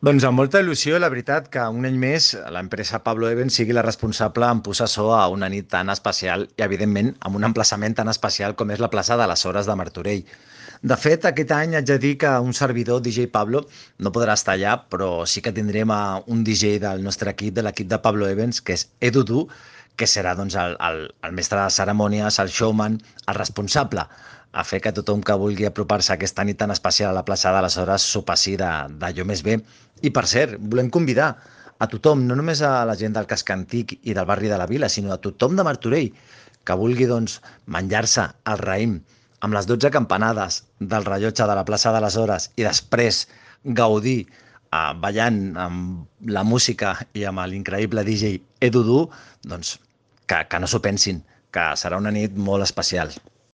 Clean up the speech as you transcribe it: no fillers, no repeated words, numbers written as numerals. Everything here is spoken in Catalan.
Doncs amb molta il·lusió, la veritat, que un any més l'empresa Pablo Evans sigui la responsable en posar so a una nit tan especial i, evidentment, amb un emplaçament tan especial com és la plaça de les Hores de Martorell. De fet, aquest any haig de dir que un servidor, DJ Pablo, no podrà estar allà, però sí que tindrem a un DJ del nostre equip, de l'equip de Pablo Evans, que és Edu Du, que serà doncs, el mestre de cerimònies, el showman, el responsable a fer que tothom que vulgui apropar-se a aquesta nit tan especial a la plaça de les Hores s'ho passi d'allò més bé. I per cert, volem convidar a tothom, no només a la gent del casc antic i del barri de la Vila, sinó a tothom de Martorell que vulgui doncs, menjar-se el raïm amb les 12 campanades del rellotge de la plaça de les Hores i després gaudir ballant amb la música i amb l'increïble DJ Edu Du, doncs que no s'ho pensin, que serà una nit molt especial.